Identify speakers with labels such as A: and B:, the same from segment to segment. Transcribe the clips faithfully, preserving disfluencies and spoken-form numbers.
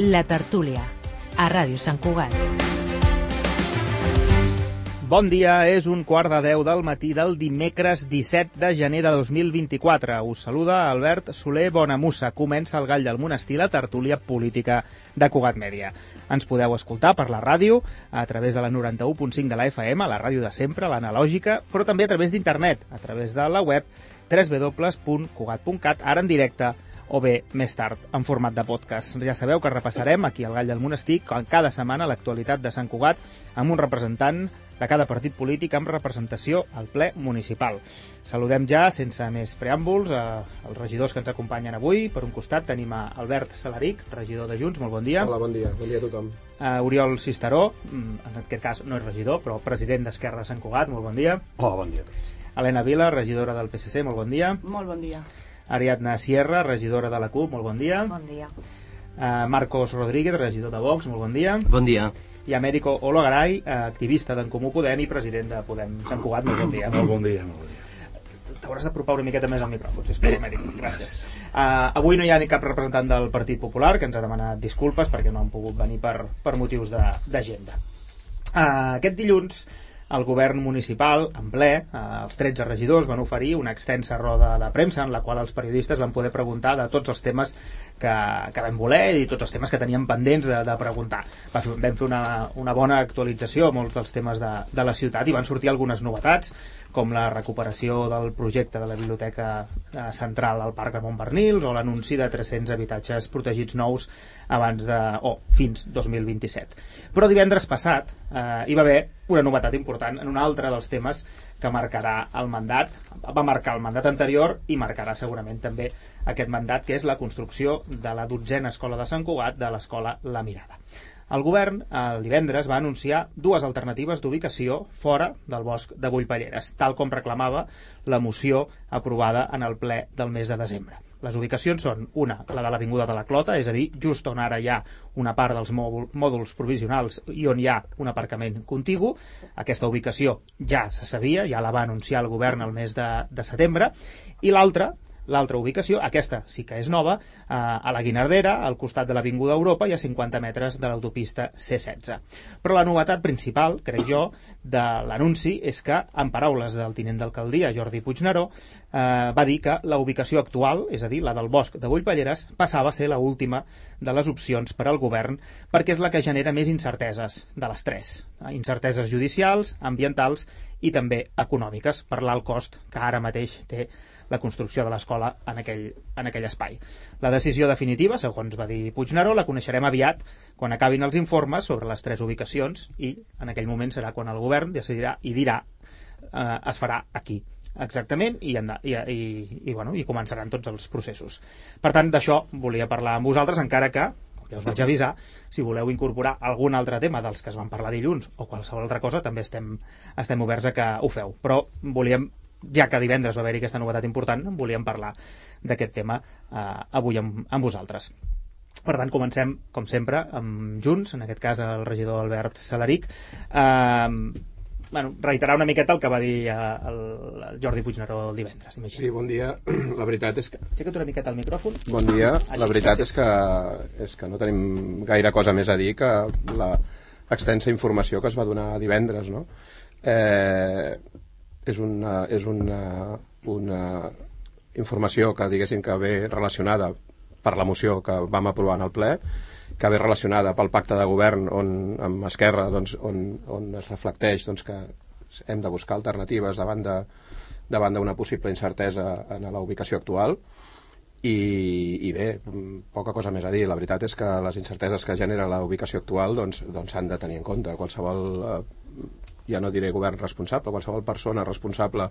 A: La Tertúlia, a Ràdio Sant Cugat.
B: Bon dia, és un quart de deu del matí del dimecres disset de gener de dos mil vint-i-quatre. Us saluda Albert Soler Bonamussa. Comença el Gall del Monestir, la tertúlia política de Cugat Mèdia. Ens podeu escoltar per la ràdio, a través de la noranta-u punt cinc de la F M, la ràdio de sempre, l'analògica, però també a través d'internet, a través de la web w w w punt cugat punt cat, ara en directe, o bé més tard, en format de podcast. Ja sabeu que repassarem aquí al Gall del Monestir cada setmana l'actualitat de Sant Cugat amb un representant de cada partit polític amb representació al ple municipal. Saludem ja, sense més preàmbuls, als regidors que ens acompanyen avui. Per un costat tenim a Albert Salaric, regidor de Junts, molt bon dia.
C: Hola, bon dia, bon dia a tothom.
B: A Oriol Cisteró, en aquest cas no és regidor, però president d'Esquerra de Sant Cugat, molt bon dia.
D: Hola, bon dia a tots.
B: Helena Vila, regidora del P S C, molt bon dia.
E: Molt bon dia.
B: Ariadna Sierra, regidora de la C U P, molt bon dia.
E: Bon dia.
B: Uh, Marcos Rodríguez, regidor de Vox, molt bon dia.
F: Bon dia.
B: I Américo Olagaray, activista d'en Comú Podem i president de Podem Sant Cugat, molt bon dia.
D: Molt bon dia, molt bon dia.
B: T'hauràs d'apropar una miqueta més al micròfon, sisplau, Américo. Gràcies. Uh, avui no hi ha ni cap representant del Partit Popular, que ens ha demanat disculpes perquè no han pogut venir per, per motius d'agenda. Uh, aquest dilluns el govern municipal, en ple, eh, els tretze regidors van oferir una extensa roda de premsa en la qual els periodistes van poder preguntar de tots els temes que, que vam voler i tots els temes que teníem pendents de, de preguntar. Va fer, vam fer una, una bona actualització a molts dels temes de, de la ciutat i van sortir algunes novetats, com la recuperació del projecte de la biblioteca eh, central al Parc Ramon Barnils o l'anunci de tres-cents habitatges protegits nous abans de, o oh, fins dos mil vint-i-set. Però divendres passat eh, hi va haver una novetat important en un altre dels temes que marcarà el mandat, va marcar el mandat anterior i marcarà segurament també aquest mandat, que és la construcció de la dotzena escola de Sant Cugat, de l'escola La Mirada. El govern, el divendres, va anunciar dues alternatives d'ubicació fora del bosc de Bullpalleres, tal com reclamava la moció aprovada en el ple del mes de desembre. Les ubicacions són una, la de l'Avinguda de la Clota, és a dir, just on ara hi ha una part dels mòduls provisionals i on hi ha un aparcament contigu. Aquesta ubicació ja se sabia, ja la va anunciar el govern el mes de, de setembre, i l'altra, L'altra ubicació, aquesta sí que és nova, eh, a la Guinardera, al costat de l'Avinguda Europa i a cinquanta metres de l'autopista C setze. Però la novetat principal, crec jo, de l'anunci és que, en paraules del tinent d'alcaldia, Jordi Puigneró, eh, va dir que la ubicació actual, és a dir, la del bosc de Bullpalleres, passava a ser l'última de les opcions per al govern perquè és la que genera més incerteses de les tres. Incerteses judicials, ambientals i també econòmiques, per l'alt cost que ara mateix té la construcció de l'escola en aquell, en aquell espai. La decisió definitiva, segons va dir Puigneró, la coneixerem aviat quan acabin els informes sobre les tres ubicacions i en aquell moment serà quan el govern decidirà i dirà eh, es farà aquí exactament i, i, i, i, bueno, i començaran tots els processos. Per tant, d'això volia parlar amb vosaltres, encara que ja us vaig avisar, si voleu incorporar algun altre tema dels que es van parlar dilluns o qualsevol altra cosa, també estem, estem oberts a que ho feu. Però volíem, ja que divendres va haver-hi aquesta novetat important, volíem parlar d'aquest tema eh, avui amb, amb vosaltres. Per tant, comencem, com sempre, amb Junts, en aquest cas el regidor Albert Salaric. Eh, bueno, reiterar una miqueta el que va dir eh, el, el Jordi Puigneró el divendres. Imagina.
C: Sí, bon dia. La veritat és que...
B: Aixeca't una miqueta el micròfon.
C: Bon dia.
B: Així,
C: la veritat
B: gràcies.
C: és que, és que no tenim gaire cosa més a dir que la extensa informació que es va donar divendres, no? Eh... és una, és una, una informació que diguéssim que ve relacionada per la moció que vam aprovar en el ple, que ve relacionada pel pacte de govern on, amb Esquerra, doncs, on, on es reflecteix doncs, que hem de buscar alternatives davant de, davant d'una possible incertesa en la ubicació actual i, i bé, poca cosa més a dir. La veritat és que les incerteses que genera la ubicació actual doncs, doncs s'han de tenir en compte. Qualsevol eh, ja no diré govern responsable, qualsevol persona responsable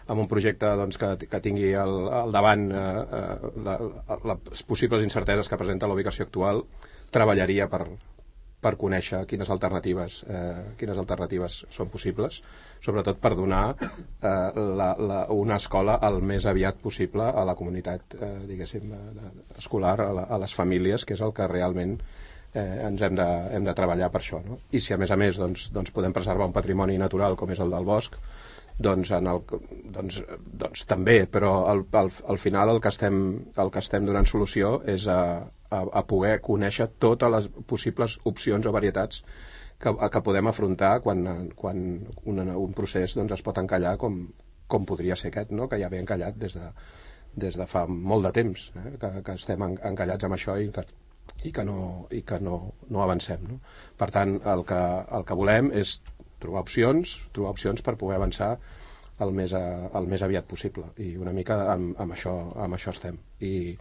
C: amb un projecte doncs, que, que tingui al, al davant eh, eh, la, les possibles incerteses que presenta la ubicació actual treballaria per, per conèixer quines alternatives, eh, quines alternatives són possibles, sobretot per donar eh, la, la, una escola el més aviat possible a la comunitat eh, diguéssim, eh, escolar, a, la, a les famílies, que és el que realment Eh, ens hem de, hem de treballar per això, no? I si a més a més doncs, doncs podem preservar un patrimoni natural com és el del bosc, doncs, en el, doncs, doncs també, però al, al, al final el que, estem, el que estem donant solució és a, a, a poder conèixer totes les possibles opcions o varietats que, que podem afrontar quan, quan un, un procés doncs, es pot encallar com, com podria ser aquest, no? Que ja ve encallat des de, des de fa molt de temps, eh? que, que estem en, encallats amb això i que, i que, no, i que no, no avancem. No? Per tant, el que, el que volem és trobar opcions, trobar opcions per poder avançar el més, a, el més aviat possible, i una mica amb, amb, això, amb això estem. I,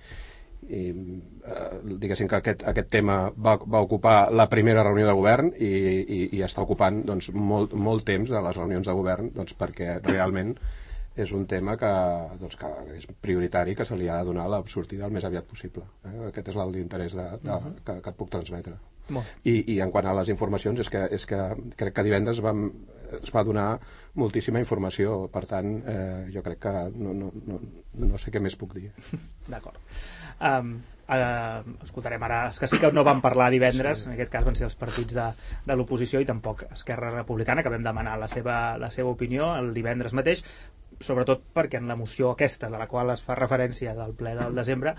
C: i eh, diguéssim que aquest, aquest tema va, va ocupar la primera reunió de govern i, i, i està ocupant doncs, molt, molt temps de les reunions de govern, doncs, perquè realment és un tema que, doncs, que és prioritari, que se li ha de donar la sortida el més aviat possible. Eh? Aquest és l'interès de, de, uh-huh. que, que et puc transmetre. I, I en quant a les informacions, és que, és que crec que divendres vam, es va donar moltíssima informació, per tant, eh, jo crec que no, no, no, no sé què més puc dir.
B: D'acord. Um, uh, escoltarem ara, és que sí que no vam parlar divendres, sí. En aquest cas van ser els partits de, de l'oposició i tampoc Esquerra Republicana, que vam demanar la seva, la seva opinió el divendres mateix, sobretot perquè en la moció aquesta, de la qual es fa referència del ple del desembre,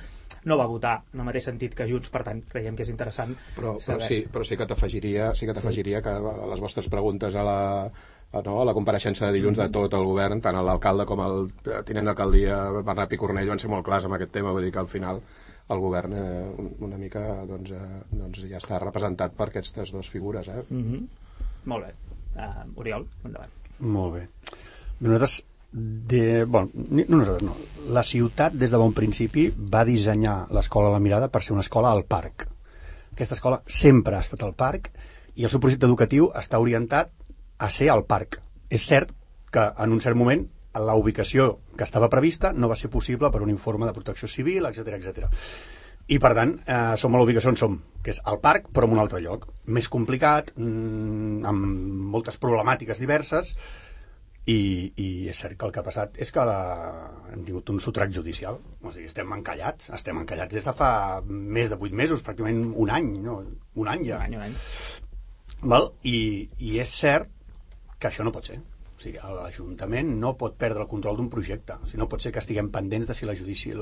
B: no va votar en el mateix sentit que Junts, per tant creiem que és interessant
C: però, però, sí, però sí que t'afegiria sí que t'afegiria sí. que a les vostres preguntes a la, a, no, a la compareixença de dilluns mm-hmm. de tot el govern, tant l'alcalde com el tinent d'alcaldia Bernat Picornell van ser molt clars amb aquest tema, vull dir que al final el govern eh, una mica doncs, eh, doncs ja està representat per aquestes dues figures. Eh?
B: Mm-hmm. Molt bé. Uh, Oriol, endavant.
E: Molt bé. Nosaltres De, bueno, no nosaltres, no. La ciutat des de bon principi va dissenyar l'escola La Mirada per ser una escola al parc. Aquesta escola sempre ha estat al parc i el seu projecte educatiu està orientat a ser al parc. És cert que en un cert moment la ubicació que estava prevista no va ser possible per un informe de protecció civil, etcètera, etcètera. I per tant, eh, som a la ubicació on som, que és al parc però en un altre lloc. Més complicat, mmm, amb moltes problemàtiques diverses. I, i és cert que el que ha passat és que la, hem tingut un sotrac judicial, o sigui, estem encallats estem encallats des de fa més de vuit mesos, pràcticament un any, no? un any ja
B: un any, un any.
E: Val? I, i és cert que això no pot ser, o sigui, l'Ajuntament no pot perdre el control d'un projecte, o sigui, no pot ser que estiguem pendents de si la judici,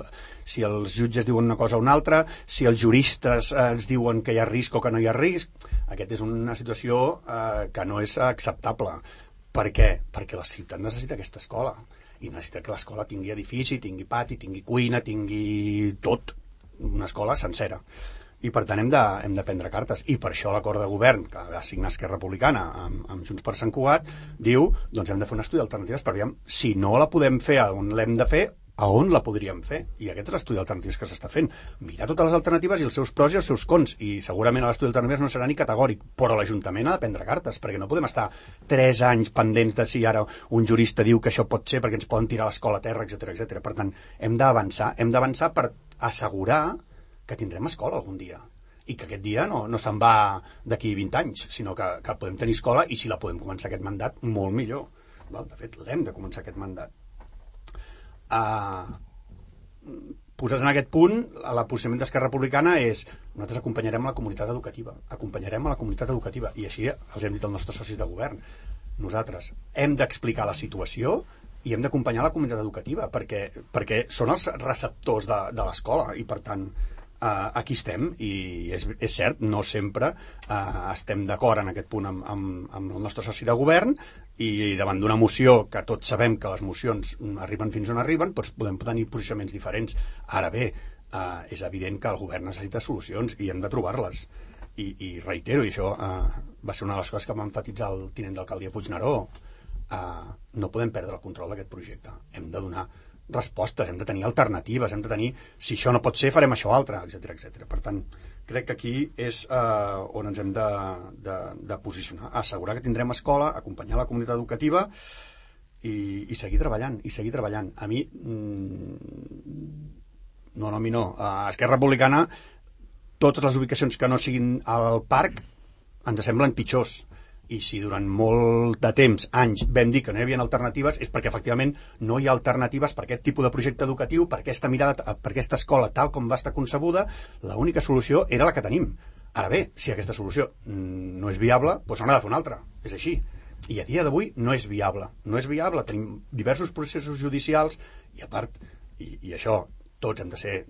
E: si els jutges diuen una cosa o una altra, si els juristes eh, ens diuen que hi ha risc o que no hi ha risc. Aquesta és una situació eh, que no és acceptable. Per què? Perquè la ciutat necessita aquesta escola i necessita que l'escola tingui edifici, tingui pati, tingui cuina, tingui tot, una escola sencera. I per tant hem de, hem de prendre cartes. I per això l'acord de govern que va signar Esquerra Republicana amb, amb Junts per Sant Cugat diu, doncs hem de fer un estudi d'alternatives per veure si no la podem fer on l'hem de fer, a on la podríem fer. I aquest és l'estudi d'alternatives que s'està fent. Mirar totes les alternatives i els seus pros i els seus cons. I segurament l'estudi d'alternatives no serà ni categòric, però l'Ajuntament ha de prendre cartes, perquè no podem estar tres anys pendents de si ara un jurista diu que això pot ser perquè ens poden tirar l'escola a terra, etcètera, etcètera. Per tant, hem d'avançar, hem d'avançar per assegurar que tindrem escola algun dia. I que aquest dia no, no se'n va d'aquí vint anys, sinó que, que podem tenir escola i si la podem començar aquest mandat, molt millor. Val? De fet, l'hem de començar aquest mandat. Uh, posats en aquest punt, el posicionament d'Esquerra Republicana és nosaltres acompanyarem a la comunitat educativa acompanyarem a la comunitat educativa i així els hem dit als nostres socis de govern, nosaltres hem d'explicar la situació i hem d'acompanyar la comunitat educativa perquè, perquè són els receptors de, de l'escola i per tant uh, aquí estem i és, és cert, no sempre uh, estem d'acord en aquest punt amb, amb, amb el nostre soci de govern i davant d'una moció que tots sabem que les mocions arriben fins on arriben, doncs podem tenir posicionaments diferents. Ara bé, eh, és evident que el govern necessita solucions i hem de trobar-les. I, i reitero, i això eh, va ser una de les coses que va emfatitzar el tinent d'alcaldia Puigneró, eh, no podem perdre el control d'aquest projecte. Hem de donar respostes, hem de tenir alternatives, hem de tenir, si això no pot ser, farem això altre, etcètera, etcètera. Per tant, crec que aquí és eh, on ens hem de, de, de posicionar, assegurar que tindrem escola, acompanyar la comunitat educativa i, i seguir treballant, i seguir treballant. A mi, mmm, no, no, a mi no. A Esquerra Republicana, totes les ubicacions que no siguin al parc ens semblen pitjors. I si durant molt de temps, anys, vam dir que no hi havia alternatives, és perquè efectivament no hi ha alternatives per aquest tipus de projecte educatiu, per aquesta mirada, per aquesta escola tal com va estar concebuda. L'única solució era la que tenim. Ara bé, si aquesta solució no és viable, doncs n'ha de fer una altra. És així. I a dia d'avui no és viable. No és viable. Tenim diversos processos judicials i a part, i, i això tots hem de ser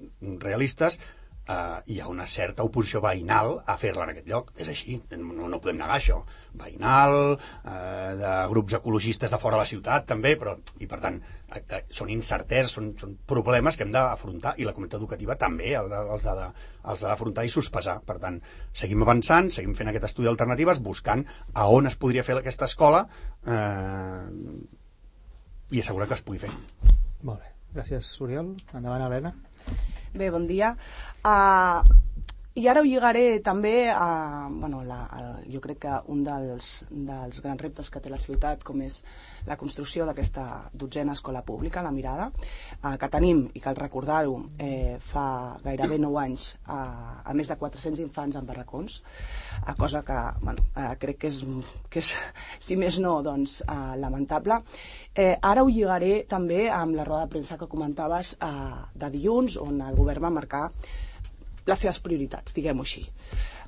E: realistes, Uh, hi ha una certa oposició veïnal a fer-la en aquest lloc. És així, no, no podem negar això. Veïnal, uh, de grups ecologistes de fora de la ciutat, també, però, i per tant, uh, uh, són incerteses, són, són problemes que hem d'afrontar, i la comunitat educativa també els ha de, els ha d'afrontar i sospesar. Per tant, seguim avançant, seguim fent aquest estudi d'alternatives, buscant a on es podria fer aquesta escola eh, i assegurar que es pugui fer.
B: Molt bé. Gràcies, Oriol. Endavant, Helena.
F: Bé, bon dia. Uh, I ara ho lligaré també a... Bueno, la, a, jo crec que un dels, dels grans reptes que té la ciutat, com és la construcció d'aquesta dotzena escola pública, la Mirada, uh, que tenim, i cal recordar-ho, eh, fa gairebé nou anys uh, a més de quatre-cents infants en barracons, uh, cosa que, bueno, uh, crec que és, que és, si més no, doncs, uh, lamentable. Eh, ara ho lligaré també amb la roda de premsa que comentaves uh, de dilluns, on el govern va marcar les seves prioritats, diguem-ho així.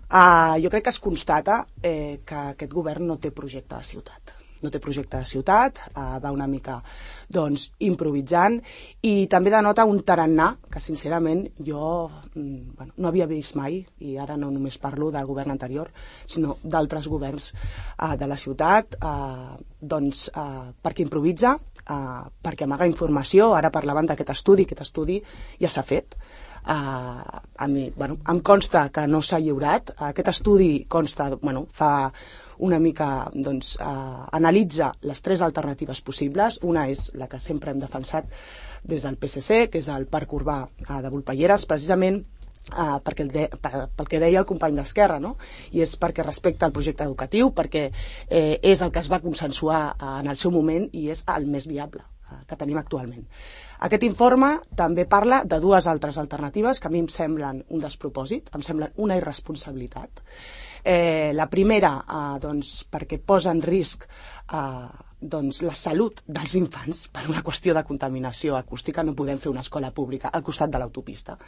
F: Uh, jo crec que es constata eh, que aquest govern no té projecte de ciutat. No té projecte de ciutat, uh, va una mica doncs, improvisant, i també denota un tarannà que sincerament jo mm, bueno, no havia vist mai, i ara no només parlo del govern anterior, sinó d'altres governs uh, de la ciutat, uh, doncs, uh, perquè improvisa, uh, perquè amaga informació. Ara parlaven d'aquest estudi, aquest estudi ja s'ha fet. Uh, a mi, bueno, em consta que no s'ha lliurat. Aquest estudi consta, bueno, fa una mica, doncs, uh, analitza les tres alternatives possibles. Una és la que sempre hem defensat des del P S C, que és el Parc Urbà uh, de Volpelleres, precisament Uh, perquè el de, per, pel que deia el company d'Esquerra, no? I és perquè respecta el projecte educatiu, perquè eh, és el que es va consensuar uh, en el seu moment i és el més viable uh, que tenim actualment. Aquest informe també parla de dues altres alternatives que a mi em semblen un despropòsit, em semblen una irresponsabilitat. Eh, la primera, uh, doncs, perquè posa en risc uh, doncs, la salut dels infants per una qüestió de contaminació acústica. No podem fer una escola pública al costat de l'autopista.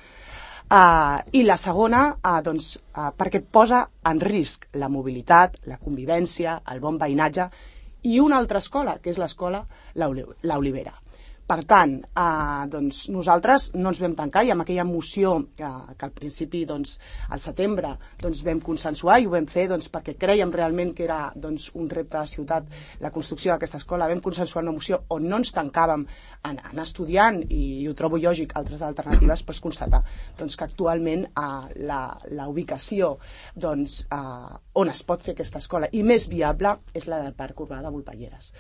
F: Uh, I la segona, uh, doncs, uh, perquè posa en risc la mobilitat, la convivència, el bon veïnatge i una altra escola, que és l'escola La Olivera. Per tant, eh, doncs nosaltres no ens vam tancar, i amb aquella moció eh, que al principi, doncs, al setembre, doncs, vam consensuar, i ho vam fer doncs, perquè creiem realment que era doncs, un repte de ciutat la construcció d'aquesta escola. Vam consensuar una moció on no ens tancàvem en, en estudiant, i, i ho trobo lògic, altres alternatives, però es constata doncs, que actualment eh, la, la ubicació doncs, eh, on es pot fer aquesta escola i més viable és la del Parc Urbà de Volpelleres.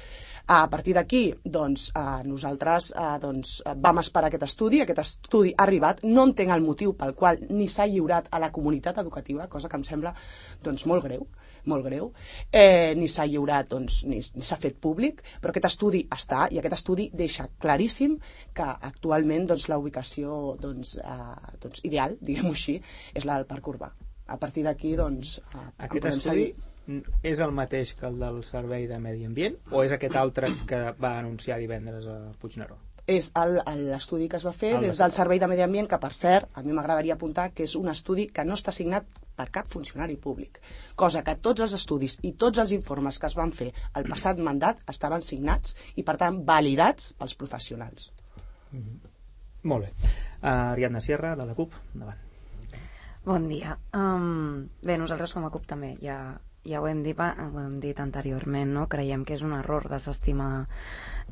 F: A partir d'aquí, doncs, eh, nosaltres eh, doncs, vam esperar aquest estudi, aquest estudi ha arribat, no entenc el motiu pel qual ni s'ha lliurat a la comunitat educativa, cosa que em sembla doncs, molt greu, molt greu, eh, ni s'ha lliurat, doncs, ni, ni s'ha fet públic, però aquest estudi està, i aquest estudi deixa claríssim que actualment doncs, la ubicació doncs, eh, doncs, ideal, diguem-ho així, és la del Parc Urbà. A partir d'aquí, doncs, eh,
B: aquest estudi seguir. És el mateix que el del Servei de Medi Ambient o és aquest altre que va anunciar divendres a Puigneró?
F: És l'estudi que es va fer des del Servei de Medi Ambient, que per cert, a mi m'agradaria apuntar que és un estudi que no està signat per cap funcionari públic, cosa que tots els estudis i tots els informes que es van fer el passat mandat estaven signats i per tant validats pels professionals.
B: Mm-hmm. Molt bé. uh, Ariadna Sierra, de la CUP, endavant.
G: Bon dia. Um, bé, nosaltres com a CUP també ja Ja ho hem dit, ho hem dit anteriorment, no? Creiem que és un error desestimar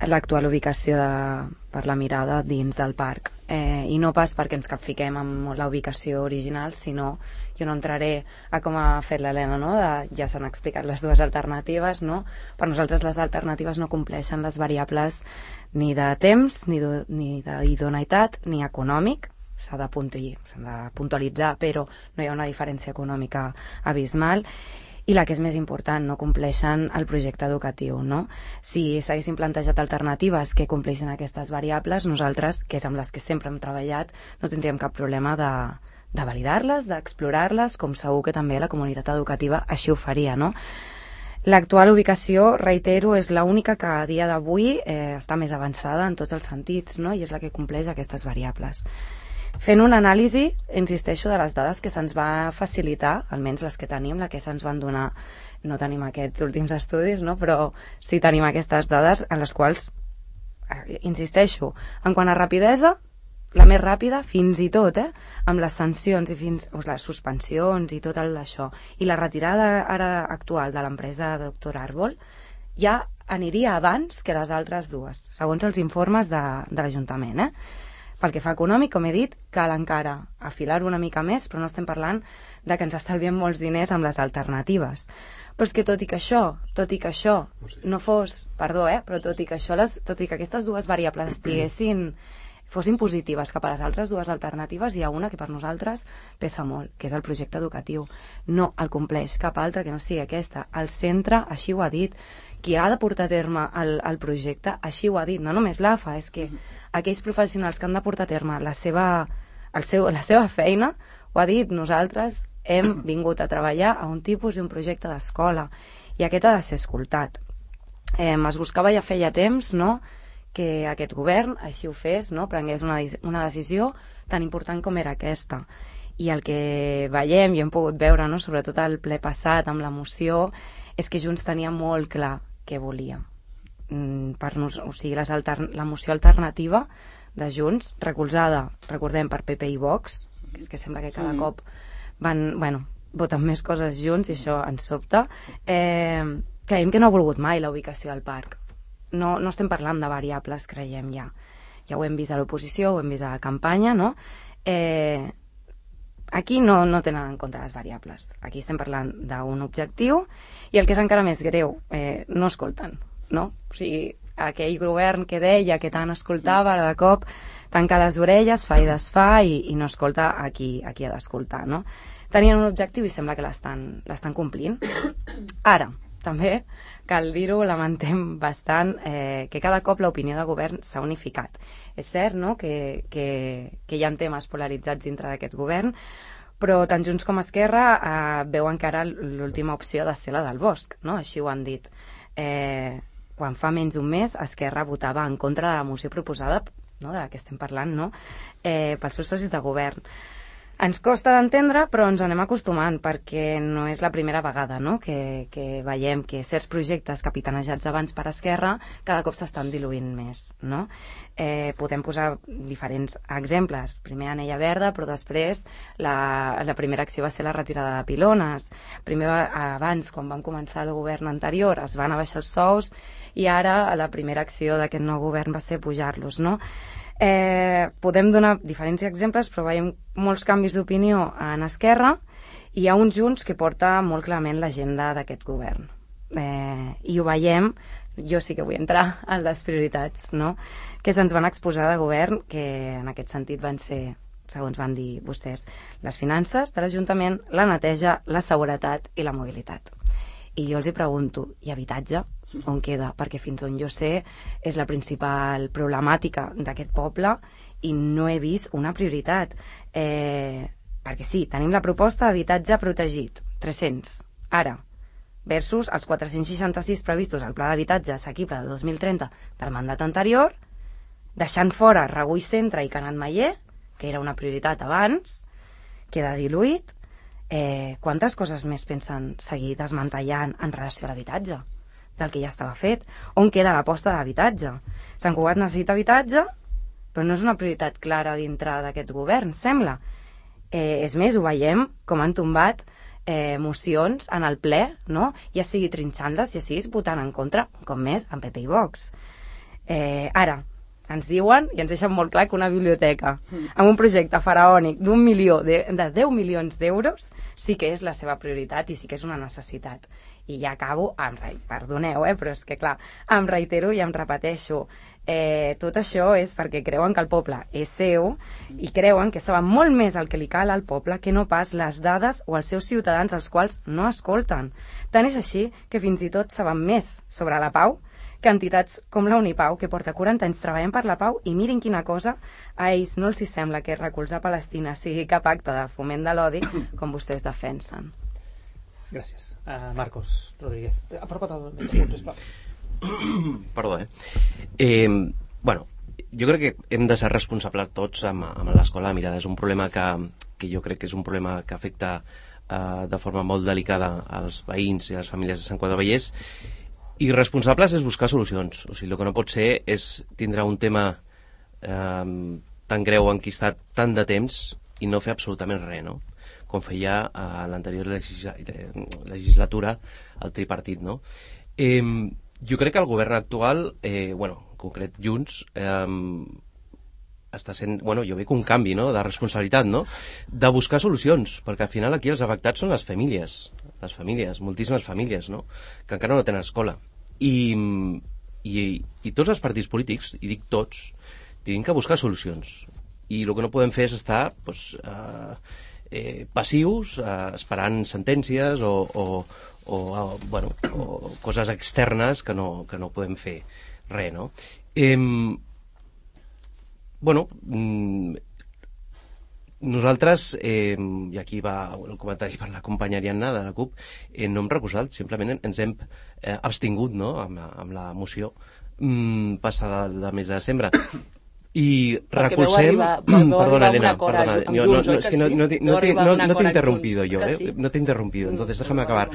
G: l'actual ubicació de, per la Mirada dins del parc. Eh, I no pas perquè ens capfiquem amb la ubicació original, sinó, jo no entraré a com ha fet l'Helena, no? De, ja s'han explicat les dues alternatives, no? Per nosaltres les alternatives no compleixen les variables ni de temps, ni d'idoneïtat, ni econòmic. S'ha de, de puntualitzar, però no hi ha una diferència econòmica abismal. I la que és més important, no compleixen el projecte educatiu, no? Si s'haguessin plantejat alternatives que compleixen aquestes variables, nosaltres, que és amb les que sempre hem treballat, no tindríem cap problema de, de validar-les, d'explorar-les, com segur que també la comunitat educativa així ho faria, no? L'actual ubicació, reitero, és l'única que a dia d'avui eh, està més avançada en tots els sentits, no? I és la que compleix aquestes variables. Fent una anàlisi, insisteixo, de les dades que se'ns va facilitar, almenys les que tenim, la que se'ns van donar, no tenim aquests últims estudis, no? Però sí tenim aquestes dades en les quals, insisteixo, en quant a rapidesa, la més ràpida, fins i tot, eh, amb les sancions i fins, o les suspensions i tot el d'això, i la retirada ara actual de l'empresa doctor Arbol, ja aniria abans que les altres dues, segons els informes de, de l'Ajuntament, eh? Pel que fa econòmic, com he dit, cal encara afilar una mica més, però no estem parlant de que ens estalviem molts diners amb les alternatives. Però és que tot i que això, tot i que això no fos, perdó, eh, però tot i que això, les, tot i que aquestes dues variables estiguessin, fossin positives cap a les altres dues alternatives, hi ha una que per nosaltres pesa molt, que és el projecte educatiu. No el compleix cap altra que no sigui aquesta. El centre així ho ha dit. Qui ha de portar a terme el, el projecte així ho ha dit. No només l'A F A, és que aquells professionals que han de portar a terme la seva, el seu, la seva feina, ho ha dit, nosaltres hem vingut a treballar a un tipus i un projecte d'escola, i aquest ha de ser escoltat. Eh, es buscava ja feia temps, no?, que aquest govern així ho fes, no?, prengués una, una decisió tan important com era aquesta. I el que veiem i hem pogut veure, no?, sobretot al ple passat amb la moció, és que Junts tenia molt clar què volia. Mm, per nos, o sigui, les altern la moció alternativa de Junts, recolzada, recordem, per P P i Vox, que és que sembla que cada mm. cop van, bueno, voten més coses junts i això ens sobta, eh, creiem que no ha volgut mai la ubicació al parc. No, no estem parlant de variables, creiem ja. Ja ho hem vist a l'oposició, ho hem vist a la campanya, no? Eh, aquí no, no tenen en compte les variables. Aquí estem parlant d'un objectiu i el que és encara més greu, eh, no escolten, no? O sigui, aquell govern que deia que tant escoltava, ara de cop tanca les orelles, fa i desfà i, i no escolta a qui, a qui ha d'escoltar, no? Tenien un objectiu i sembla que l'estan l'estan complint. Ara, també cal dir-ho, lamentem bastant eh, que cada cop l'opinió de govern s'ha unificat. És cert, no?, que, que, que hi ha temes polaritzats dintre d'aquest govern, però tant Junts com Esquerra eh, veuen que ara l'última opció ha de ser la del bosc, no?, així ho han dit. Eh, quan fa menys d'un mes Esquerra votava en contra de la moció proposada, no?, de la que estem parlant, no?, eh, pels seus socis de govern. Ens costa d'entendre, però ens anem acostumant, perquè no és la primera vegada, no?, que, que veiem que certs projectes capitanejats abans per Esquerra cada cop s'estan diluint més, no? Eh, podem posar diferents exemples. Primer Anella Verda, però després la, la primera acció va ser la retirada de pilones. Primer, abans, quan vam començar el govern anterior, es van abaixar els sous i ara la primera acció d'aquest nou govern va ser pujar-los, no? Eh, podem donar diferents exemples, però veiem molts canvis d'opinió en Esquerra i hi ha uns Junts que porta molt clarament l'agenda d'aquest govern. Eh, I ho veiem, jo sí que vull entrar en les prioritats, no?, que se'ns van exposar de govern, que en aquest sentit van ser, segons van dir vostès, les finances de l'Ajuntament, la neteja, la seguretat i la mobilitat. I jo els hi pregunto, i habitatge? On queda? Perquè fins on jo sé és la principal problemàtica d'aquest poble i no he vist una prioritat. Eh, perquè sí, tenim la proposta d'habitatge protegit, tres-cents, ara, versus els quatre-cents seixanta-sis previstos al pla d'habitatge assequible del dos mil trenta del mandat anterior, deixant fora Regull Centre i Can Atmaller, que era una prioritat abans, queda diluït. Eh, quantes coses més pensen seguir desmantellant en relació a l'habitatge del que ja estava fet? On queda l'aposta d'habitatge? Sant Cugat necessita habitatge, però no és una prioritat clara dintre d'aquest govern, sembla. Eh, és més, ho veiem com han tombat eh, mocions en el ple, no?, ja sigui trinxant-les, ja siguis votant en contra, com més, en P P i Vox. Eh, ara, ens diuen, i ens deixen molt clar, que una biblioteca amb un projecte faraònic d'un milió, de, de deu milions d'euros, sí que és la seva prioritat i sí que és una necessitat. I ja acabo, em re... perdoneu, eh, però és que clar, em reitero i em repeteixo, eh, tot això és perquè creuen que el poble és seu i creuen que saben molt més el que li cal al poble que no pas les dades o els seus ciutadans als quals no escolten. Tant és així que fins i tot saben més sobre la pau que entitats com la Unipau, que porta quaranta anys treballant per la pau, i mirin quina cosa, a ells no els hi sembla que recolzar Palestina sigui cap acte de foment de l'odi com vostès defensen.
B: Gràcies. Uh, Marcos Rodríguez. Apropa't al mig, sisplau.
D: Perdó, eh? eh? Bueno, jo crec que hem de ser responsables tots amb, amb l'escola de mirada. És un problema que, que jo crec que és un problema que afecta uh, de forma molt delicada als veïns i a les famílies de Sant Cugat del Vallès. I responsables és buscar solucions. O sigui, el que no pot ser és tindre un tema eh, tan greu enquistat tant de temps i no fer absolutament res, no? Com feia a l'anterior legislatura el tripartit, no? Eh, jo crec que el govern actual, eh, bueno, en concret Junts, eh, està sent, bueno, jo veig un canvi, no?, de responsabilitat, no?, de buscar solucions, perquè al final aquí els afectats són les famílies, les famílies, moltíssimes famílies, no?, que encara no tenen escola. I, i, i tots els partits polítics, i dic tots, tenim que buscar solucions. I el que no podem fer és estar, doncs, eh, eh, passius, eh, esperant sentències o, o, o, bueno, o coses externes que no, que no podem fer res, no? Eh, bueno, mm, nosaltres, eh, i aquí va el comentari per la companya Ariadna de la CUP, eh, no hem recusat, simplement ens hem eh, abstingut, no?, amb la, amb la moció mm, passada del mes de desembre. I recolzem... Perdona, Elena, perdona. No, no, no, es que no, no, no, te, no, no te he interrumpido yo, eh, no te he interrumpido, entonces déjame acabar.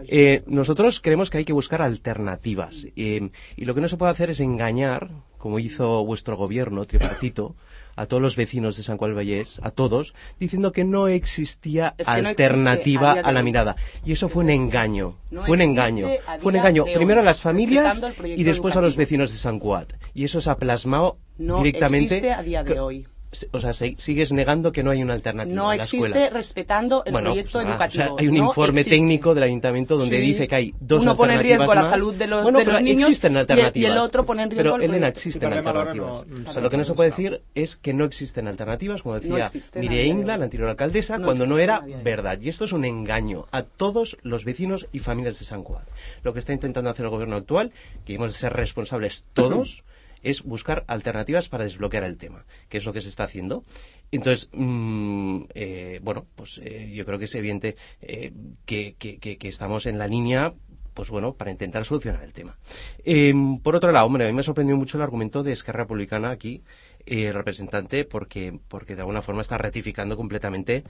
D: Eh, nosotros creemos que hay que buscar alternativas eh, y lo que no se puede hacer es engañar, como hizo vuestro gobierno tripartito, a todos los vecinos de San Juan del Vallés, a todos, diciendo que no existía es que alternativa no a, a la mirada. Y eso fue un engaño, no fue un engaño, fue un engaño, primero a las familias y después educativo. A los vecinos de San Juan. Y eso se ha plasmado no directamente...
F: existe a día de hoy.
D: O sea, sigues negando que no hay una alternativa
F: no
D: en la escuela.
F: No existe respetando el bueno, proyecto pues, educativo.
D: O sea, hay un
F: no
D: informe
F: existe.
D: técnico del ayuntamiento donde sí. dice que hay dos
F: Uno
D: alternativas
F: pone en riesgo
D: más.
F: la salud de los,
D: bueno,
F: de los niños
D: existen alternativas.
F: Y, el, y el otro pone en riesgo
D: pero,
F: el
D: Elena,
F: proyecto.
D: existen alternativas. No, o sea, lo que no se puede decir es que no existen alternativas, como decía no Mireia Ingla, la anterior alcaldesa, no cuando no era verdad. Y esto es un engaño a todos los vecinos y familias de San Juan. Lo que está intentando hacer el gobierno actual, que hemos de ser responsables todos, es buscar alternativas para desbloquear el tema, que es lo que se está haciendo. Entonces, mmm, eh, bueno, pues eh, yo creo que es evidente eh, que, que, que, que estamos en la línea, pues bueno, para intentar solucionar el tema. Eh, por otro lado, hombre, a mí me ha sorprendido mucho el argumento de Esquerra Republicana aquí, eh, el representante, porque, porque de alguna forma está ratificando completamente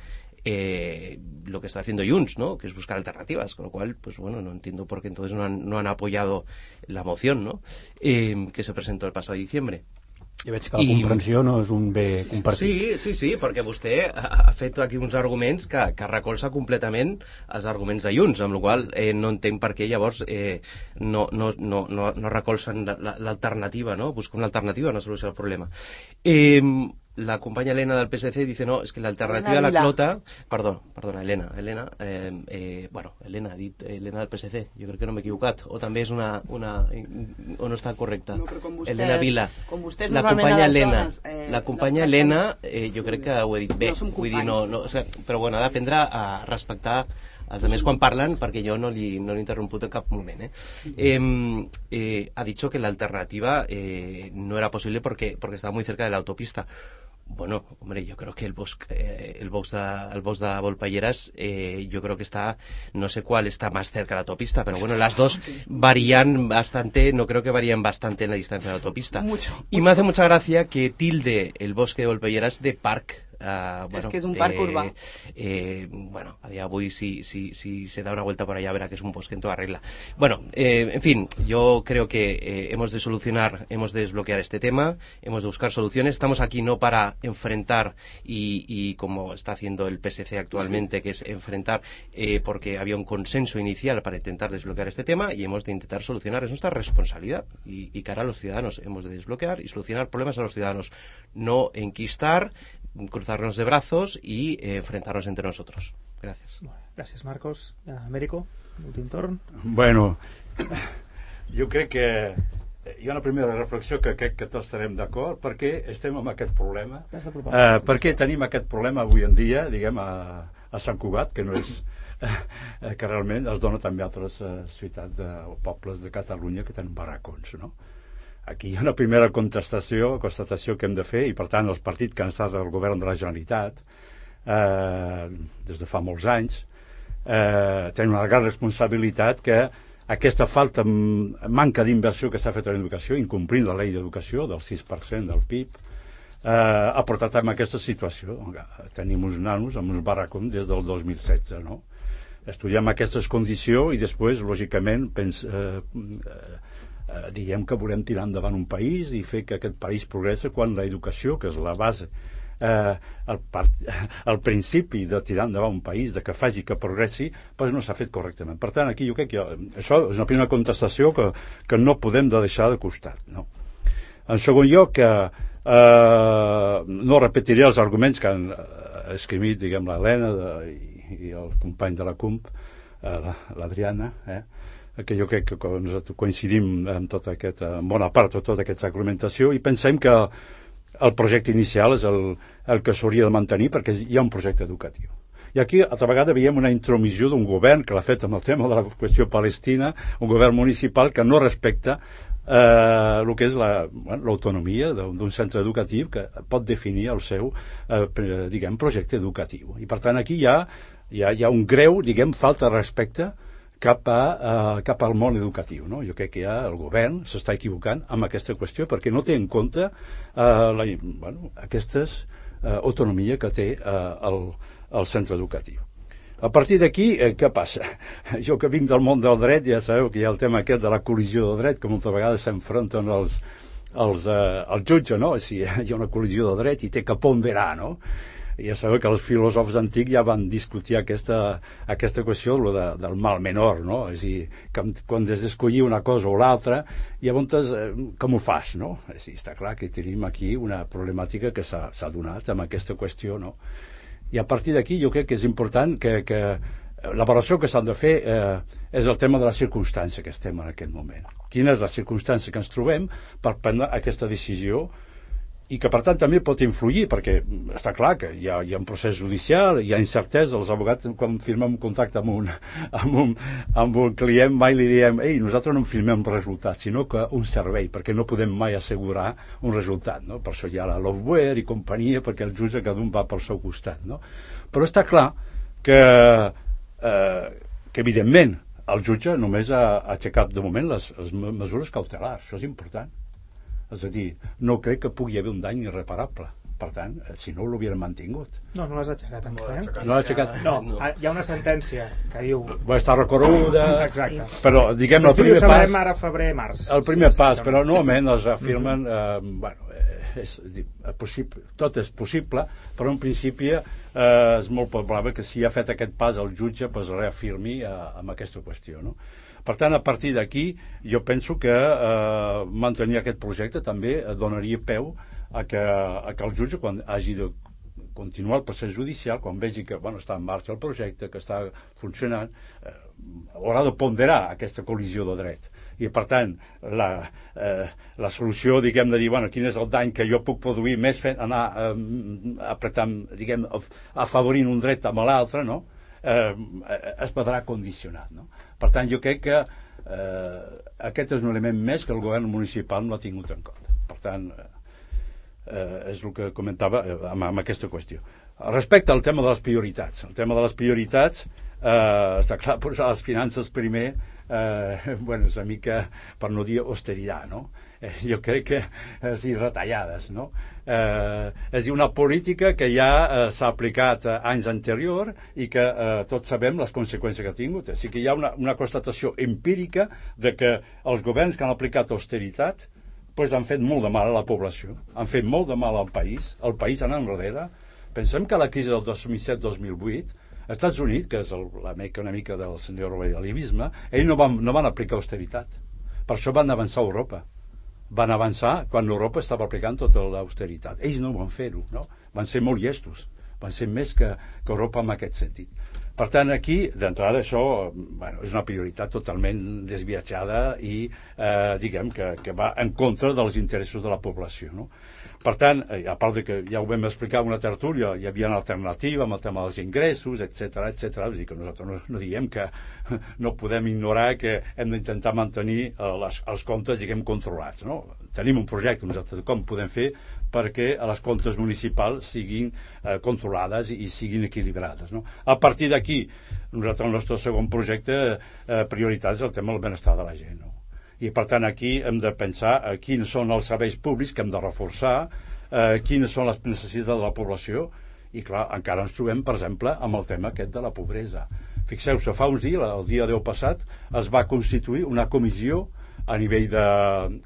D: eh, lo que está haciendo Junts, ¿no?, que es buscar alternativas, con lo cual, pues bueno, no entiendo por qué entonces no han, no han apoyado la moción, ¿no?, eh, que se presentó el pasado diciembre.
E: Ja veig que la comprensió I... no és un bé compartit.
D: Sí, sí, sí, perquè vostè ha fet aquí uns arguments que, que recolza completament els arguments de Junts, amb la qual cosa eh, no entenc per què llavors eh, no, no, no, no, no recolzen l'alternativa, no? Busca una alternativa, una solució al problema. Eh, la companya Elena del P S C dice no, es que la alternativa a la clota... Perdó, perdona, Elena, Elena, eh, eh, bueno, Elena ha dit Elena del P S C, jo crec que no m'he equivocat, o també és una, una o no està correcta.
F: No, però com vostès,
D: Elena Vila,
F: com vostès
D: la companya Elena,
F: dones, eh,
D: la companya Elena, eh, jo crec que ho he dit bé, no vull dir, no, no, o sigui, però bueno, ha d'aprendre a respectar els altres quan parlen, perquè jo no li, no l'he interromput en cap moment. Eh? Eh, eh, ha dicho que la alternativa eh, no era posible porque, porque estaba muy cerca de la autopista. Bueno, hombre, yo creo que el bosque, eh, el box de, el box de Volpelleras, eh, yo creo que está, no sé cuál está más cerca de la autopista, pero bueno, las dos varían bastante, no creo que varían bastante en la distancia de la autopista.
F: Mucho,
D: y
F: mucho.
D: me hace mucha gracia que tilde el bosque de Volpelleras de parc. Uh, bueno,
F: es que es un parc
D: eh,
F: urbà.
D: Eh, bueno, a día de hoy si, si, si se da una vuelta por allá verá que es un bosque en toda regla. Bueno, eh, en fin, yo creo que eh, hemos de solucionar, hemos de desbloquear este tema, hemos de buscar soluciones. Estamos aquí no para enfrentar y, y como está haciendo el P S C actualmente, que es enfrentar eh, porque había un consenso inicial para intentar desbloquear este tema y hemos de intentar solucionar. Es nuestra responsabilidad y, y cara a los ciudadanos. Hemos de desbloquear y solucionar problemas a los ciudadanos, no enquistar, cruzarnos de brazos y eh, enfrentarnos entre nosotros. Gracias.
B: Gràcies, Marcos. Américo, últim torn.
H: Bueno, jo crec que hi ha una primera reflexió que crec que tots estarem d'acord. Per què estem amb aquest problema? Eh, per què tenim aquest problema avui en dia, diguem, a, a Sant Cugat, que no és eh, que realment es dona també a altres eh, ciutats de, o pobles de Catalunya que tenen barracons, no? Aquí hi ha una primera contestació, constatació que hem de fer, i per tant els partits que han estat al govern de la Generalitat eh, des de fa molts anys eh, tenen una gran responsabilitat que aquesta falta, manca d'inversió que s'ha fet en educació, incomplint la llei d'educació del sis per cent del P I B, eh, ha portat a aquesta situació. Tenim uns nanos amb uns barracons des del dos mil setze, no? Estudiem aquestes condicions i després, lògicament, pens, eh, eh, diguem que volem tirar endavant un país i fer que aquest país progressa quan l'educació, que és la base, eh, el, part, el principi de tirar endavant un país, de que faci que progressi, doncs no s'ha fet correctament. Per tant, aquí jo crec que jo, això és una primera contestació que, que no podem de deixar de costat, no? En segon lloc, que eh, no repetiré els arguments que han escrit, diguem, l'Helena i, i el company de la C U M P, eh, l'Adriana, eh, que jo crec que nosaltres coincidim en tota aquesta, en bona part de tota aquesta argumentació, i pensem que el projecte inicial és el, el que s'hauria de mantenir perquè hi ha un projecte educatiu. I aquí, altra vegada, veiem una intromissió d'un govern que l'ha fet amb el tema de la qüestió palestina, un govern municipal que no respecta eh, el que és la, bueno, l'autonomia d'un centre educatiu que pot definir el seu eh, diguem, projecte educatiu. I per tant aquí hi ha, hi ha, hi ha un greu, diguem, falta de respecte cap, a, uh, cap al món educatiu, no? Jo crec que ja el govern s'està equivocant amb aquesta qüestió perquè no té en compte uh, la, bueno, aquesta uh, autonomia que té uh, el, el centre educatiu. A partir d'aquí, eh, què passa? Jo que vinc del món del dret, ja sabeu que hi ha el tema aquest de la col·lisió de dret, que moltes vegades s'enfronten els, els, eh, els jutges, no? Si hi ha una col·lisió de dret i té que ponderar, no? Ja sabeu que els filòsofs antics ja van discutir aquesta, aquesta qüestió de, del mal menor, no? És a dir, que quan has d'escollir una cosa o l'altra, llavors eh, com ho fas, no? És a dir, està clar que tenim aquí una problemàtica que s'ha donat amb aquesta qüestió, no? I a partir d'aquí jo crec que és important que, que l'avaluació que s'han de fer eh, és el tema de la circumstància que estem en aquest moment. Quina és la circumstància que ens trobem per prendre aquesta decisió i que per tant també pot influir perquè està clar que hi ha, hi ha un procés judicial, hi ha incertesa, els advocats quan firmem un contracte amb un, amb un, amb un client mai li diem ei, nosaltres no firmem resultat, sinó que un servei, perquè no podem mai assegurar un resultat, no? Per això hi ha la software i companyia, perquè el jutge cada un va pel seu costat, no? Però està clar que, eh, que evidentment el jutge només ha, ha aixecat de moment les, les mesures cautelars, això és important. És a dir, no crec que pugui haver un dany irreparable. Per tant, si no, l'hauríem mantingut.
B: No, no l'has aixecat encara. Eh?
H: No l'ha aixecat.
B: No, hi ha una sentència que diu...
H: Va estar recorreguda...
B: Exacte.
H: Sí. Però, diguem, el primer
B: pas...
H: pas...
B: Ho sabrem ara, febrer, març.
H: El primer sí, pas, però normalment els afirmen... Mm-hmm. eh, bueno, és, és possible, tot és possible, però en principi eh, és molt probable que si ha fet aquest pas el jutge pues, reafirmi eh, amb aquesta qüestió, no? Per tant, a partir d'aquí, jo penso que eh, mantenir aquest projecte també donaria peu a que, a que el jutge, quan hagi de continuar el procés judicial, quan vegi que bueno, està en marxa el projecte, que està funcionant, eh, haurà de ponderar aquesta col·lisió de dret. I, per tant, la, eh, la solució, diguem, de dir, bueno, quin és el dany que jo puc produir més fent, anar eh, apretant, diguem, afavorint un dret amb l'altre, no? Eh, es podrà condicionar, no? Per tant, jo crec que eh, aquest és un element més que el govern municipal no ha tingut en compte. Per tant, eh, és el que comentava eh, amb, amb aquesta qüestió. Respecte al tema de les prioritats, el tema de les prioritats, eh, està clar, posar les finances primer, eh, bueno, és una mica, per no dir austeritat, no? Eh, jo crec que és dir, retallades, no? Eh, és dir, una política que ja eh, s'ha aplicat eh, anys anterior i que eh, tots sabem les conseqüències que ha tingut. O sigui que hi ha una, una constatació empírica de que els governs que han aplicat austeritat pues, han fet molt de mal a la població, han fet molt de mal al país, el país anant enrere. Pensem que la crisi del dos mil set dos mil vuit, als Estats Units, que és el, la meca una mica del senyor neoliberalisme, ells no van, no van aplicar austeritat. Per això van avançar a Europa. Van avançar quan Europa estava aplicant tota l'austeritat. Ells no van fer-ho, no? Van ser molt llestos, van ser més que, que Europa en aquest sentit. Per tant, aquí, d'entrada, això bueno, és una prioritat totalment desviatjada i, eh, diguem, que, que va en contra dels interessos de la població, no? Per tant, eh, a part de que ja ho vam explicar en una tertúlia, hi havia una alternativa amb el tema dels ingressos, etcètera, etcètera. És a dir, que nosaltres no, no diem que no podem ignorar que hem d'intentar mantenir eh, les, els comptes, diguem, controlats, no? Tenim un projecte, nosaltres, com podem fer perquè les comptes municipals siguin eh, controlades i, i siguin equilibrades, no? A partir d'aquí, nosaltres, el nostre segon projecte eh, prioritat és el tema del benestar de la gent, no? I per tant aquí hem de pensar eh, quins són els serveis públics que hem de reforçar, eh, quines són les necessitats de la població i clar, encara ens trobem per exemple amb el tema aquest de la pobresa. Fixeu-se, fa uns dies, el dia deu passat es va constituir una comissió a nivell de,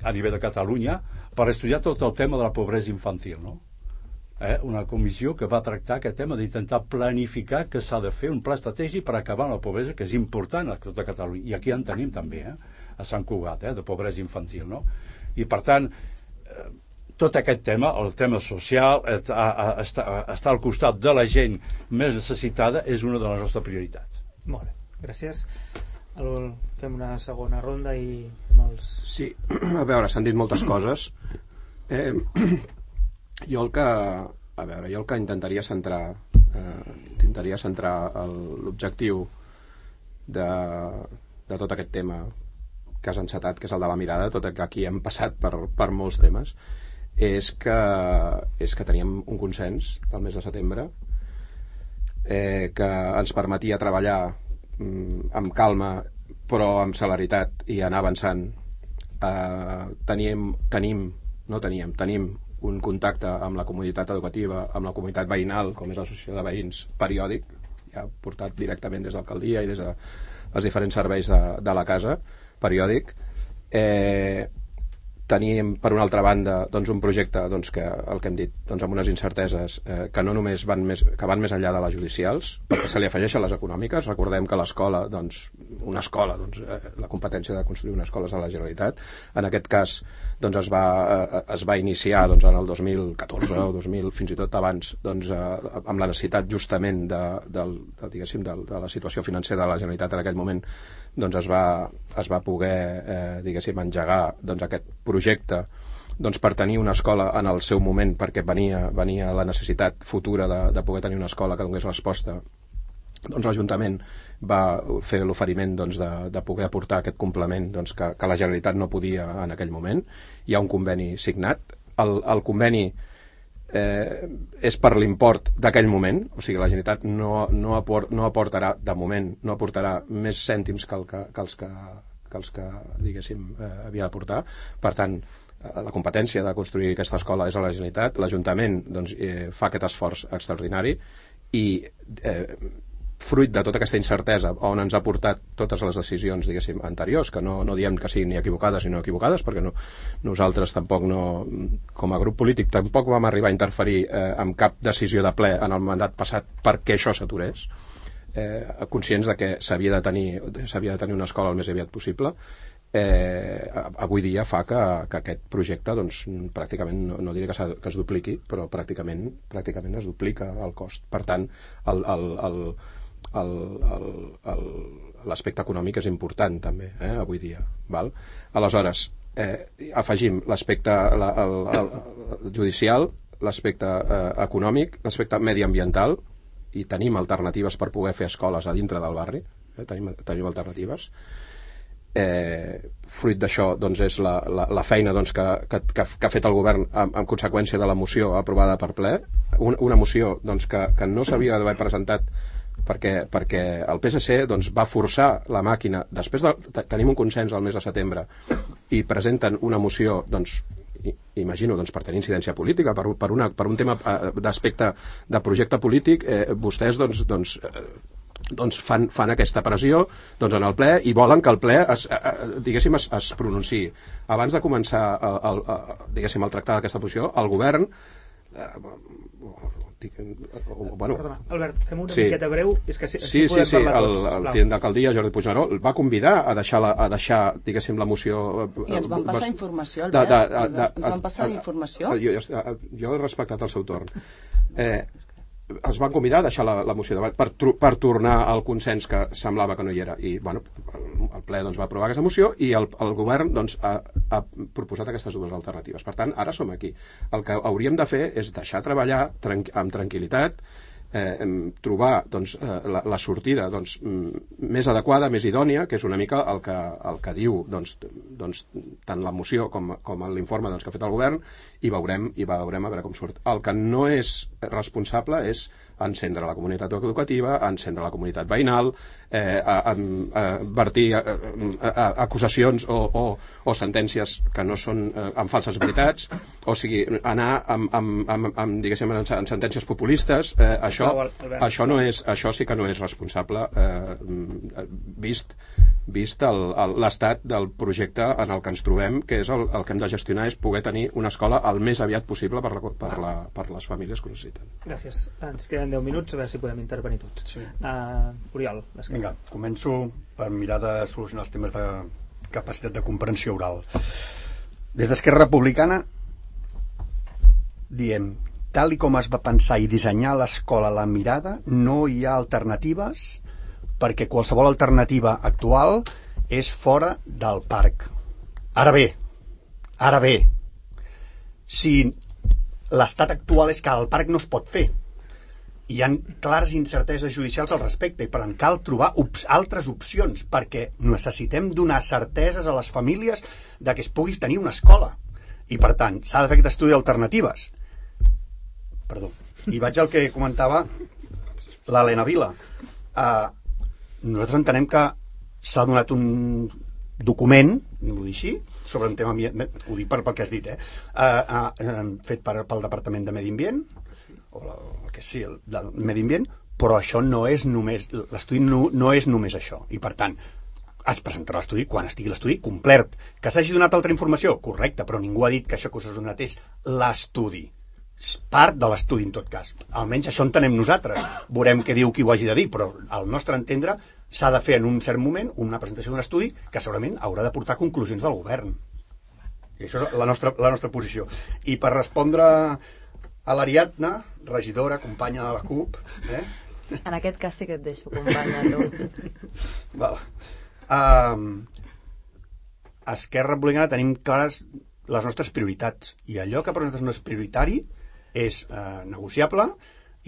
H: a nivell de Catalunya per estudiar tot el tema de la pobresa infantil, no? Eh? Una comissió que va tractar aquest tema d'intentar planificar que s'ha de fer un pla estratègic per acabar amb la pobresa, que és important a tota Catalunya, i aquí en tenim també, eh? A Sant Cugat, eh? De pobresa infantil, no? I per tant, eh, tot aquest tema, el tema social, estar al costat de la gent més necessitada és una de les nostres prioritats.
B: Molt bé, gràcies. El, fem una segona ronda i fem els...
C: Sí, a veure, s'han dit moltes coses. Eh, jo el que... A veure, jo el que intentaria centrar eh, intentaria centrar l'objectiu de, de tot aquest tema que has encetat, que és el de la mirada, tot que aquí hem passat per, per molts temes, és que, és que teníem un consens el mes de setembre eh, que ens permetia treballar mm, amb calma però amb celeritat i anar avançant. Eh, teníem, tenim, no teníem, tenim un contacte amb la comunitat educativa, amb la comunitat veïnal, com és l'associació de veïns, periòdic, ja portat directament des de l'alcaldia i des dels diferents serveis de, de la casa, periòdic. Eh, tenim, per una altra banda, doncs, un projecte doncs, que, el que hem dit, doncs, amb unes incerteses eh, que no només van més, que van més enllà de les judicials, perquè se li afegeixen les econòmiques. Recordem que l'escola, doncs, una escola, doncs, eh, la competència de construir una escola és a la Generalitat. En aquest cas, doncs, es va, eh, es va iniciar doncs, en el dos mil catorze o dos mil, fins i tot abans, doncs, eh, amb la necessitat justament de, de, de, diguéssim, de, de la situació financera de la Generalitat en aquell moment, doncs es va, es va poder eh, diguéssim, engegar doncs, aquest projecte doncs, per tenir una escola en el seu moment, perquè venia, venia la necessitat futura de, de poder tenir una escola que donés resposta. Doncs l'Ajuntament va fer l'oferiment doncs, de, de poder aportar aquest complement doncs, que, que la Generalitat no podia en aquell moment. Hi ha un conveni signat. El, el conveni eh, és per l'import d'aquell moment, o sigui, la Generalitat no, no, aport, no aportarà, de moment, no aportarà més cèntims que, el que, que els que, que, els que diguéssim, eh, havia d'aportar. Per tant, la competència de construir aquesta escola és a la Generalitat. L'Ajuntament doncs, eh, fa aquest esforç extraordinari i eh, fruit de tota aquesta incertesa on ens ha portat totes les decisions, diguéssim, anteriors, que no, no diem que siguin ni equivocades ni no equivocades, perquè no, nosaltres tampoc no, com a grup polític, tampoc vam arribar a interferir eh, amb cap decisió de ple en el mandat passat perquè això s'aturés, eh, conscients de que s'havia de tenir s'havia de tenir una escola el més aviat possible. Eh, avui dia fa que, que aquest projecte doncs, pràcticament, no, no diré que, que es dupliqui, però pràcticament, pràcticament es duplica el cost. Per tant, el, el, el, l'aspecte econòmic és important també, eh, avui dia. Val? Aleshores, eh, afegim l'aspecte la, el, el, el judicial, l'aspecte eh, econòmic, l'aspecte mediambiental, i tenim alternatives per poder fer escoles a dintre del barri, eh, tenim, tenim alternatives. Eh, fruit d'això doncs, és la, la, la feina doncs, que, que, que ha fet el govern en, en conseqüència de la moció aprovada per ple, una, una moció doncs, que, que no s'havia d'haver presentat perquè, perquè el P S C doncs, va forçar la màquina. Després de, tenim un consens al mes de setembre i presenten una moció doncs, imagino doncs, per tenir incidència política, per, per, una, per un tema d'aspecte de projecte polític, eh, vostès doncs, doncs eh, doncs fan, fan aquesta pressió doncs en el ple i volen que el ple es, eh, diguéssim es, es pronunciï. Abans de començar el, el, el, diguéssim, el tractar d'aquesta posició, el govern eh, bueno,
B: Perdona, Albert, fem una
C: sí.
B: miqueta breu, és que si,
C: sí, sí, sí, el, el tinent d'alcaldia Jordi Puigneró el va convidar a deixar, la, a deixar diguéssim, la moció
F: i ens van passar informació, Albert, de, de, de, de, ens van passar informació.
C: Jo, jo he respectat el seu torn. eh, es van convidar a deixar la, la moció davant per, per tornar al consens que semblava que no hi era, i bueno, el, el ple doncs, va aprovar aquesta moció i el, el govern doncs, ha, ha proposat aquestes dues alternatives. Per tant, ara som aquí. El que hauríem de fer és deixar treballar tranqu amb tranquil·litat, eh, trobar doncs, la, la sortida doncs, més adequada, més idònia, que és una mica el que, el que diu doncs, doncs, tant la moció com, com l'informe doncs, que ha fet el govern, i veurem, i veurem a veure com surt. El que no és responsable és encendre la comunitat educativa, encendre la comunitat veïnal, eh, a, a, a vertir a, a, a, acusacions o, o, o sentències que no són eh, amb falses veritats, o sigui, anar amb, amb, amb, amb, diguéssim, en, en sentències populistes, eh, això, això, no és, això sí que no és responsable, eh, vist vist l'estat del projecte en el que ens trobem, que és el, el que hem de gestionar, és poder tenir una escola el més aviat possible per, la, per, la, per les famílies que ho necessiten.
B: Gràcies. Ens queden deu minuts, a veure si podem intervenir tots. Sí. Uh, Oriol,
E: vinga, començo per mirar de solucionar els temes de capacitat de comprensió oral. Des d'Esquerra Republicana diem, tal i com es va pensar i dissenyar l'escola La Mirada, no hi ha alternatives, perquè qualsevol alternativa actual és fora del parc. Ara bé, ara bé, si l'estat actual és que el parc no es pot fer, hi ha clares incerteses judicials al respecte i per tant cal trobar op- altres opcions, perquè necessitem donar certeses a les famílies de que es pugui tenir una escola i per tant s'ha de fer aquest estudi d'alternatives. Perdó. I vaig al que comentava l'Helena Vila. Uh, nosaltres entenem que s'ha donat un document, vull dir així, sobre un tema, ho dic per, pel que has dit, eh? Uh, uh, fet per, pel Departament de Medi Ambient, o la, el que sí, el del Medi Ambient, però això no és només, l'estudi no, no és només això, i per tant, es presentarà l'estudi quan estigui l'estudi complet. Que s'hagi donat altra informació? Correcte, però ningú ha dit que això que us ha donat és l'estudi. Part de l'estudi, en tot cas. Almenys això entenem nosaltres. Veurem què diu qui ho hagi de dir, però al nostre entendre s'ha de fer en un cert moment una presentació d'un estudi que segurament haurà de portar conclusions del govern. I això és la nostra, la nostra posició. I per respondre a l'Ariadna, regidora, companya de la CUP... Eh?
G: En aquest cas sí que et deixo, companya, tu.
E: Val. Um, a Esquerra Republicana tenim clares les nostres prioritats, i allò que per nosaltres no és prioritari és eh, negociable